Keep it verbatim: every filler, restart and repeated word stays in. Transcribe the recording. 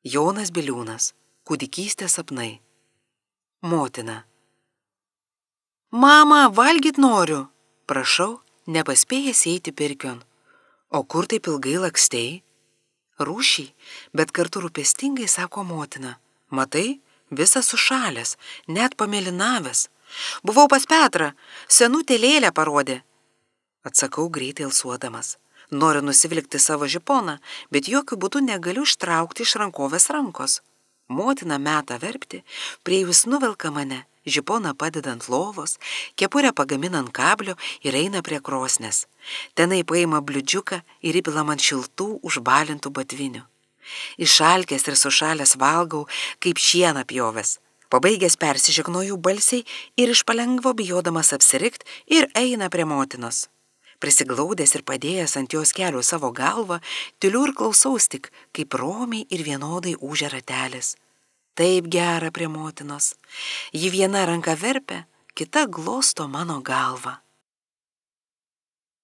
Jonas Biliūnas. Kūdikystės sapnai. Motina. Mama, valgyt noriu. Prašau, nepaspėjęs eiti pirkion. O kur taip ilgai lakstei? Rūšiai, bet kartu rūpestingai sako motina. Matai, visas sušalęs, net pamėlynavęs. Buvau pas Petrą, senutė lėlę parodė. Atsakau greitai alsuodamas. Noriu nusivilkti savo žiponą, bet jokių būdų negaliu ištraukti iš rankovės rankos. Motina meta verpti, prie jūs nuvelka mane, žiponą padeda ant lovos, kepurę pagamina ant kablio ir eina prie krosnės. Tenai paima bliūdžiuką ir įpila man šiltų užbalintų batvinių. Išalkęs ir sušalęs valgau, kaip šieną pjovęs. Pabaigęs persižegnoju balsiai ir iš palengvo bijodamas apsirikt ir eina prie motinos. Prisiglaudęs ir padėjęs ant jos kelių savo galvą, tyliu ir klausaus tik, kaip romiai ir vienodai ūžia ratelis. Taip gera prie motinos. Ji viena ranka verpia, kita glosto mano galvą.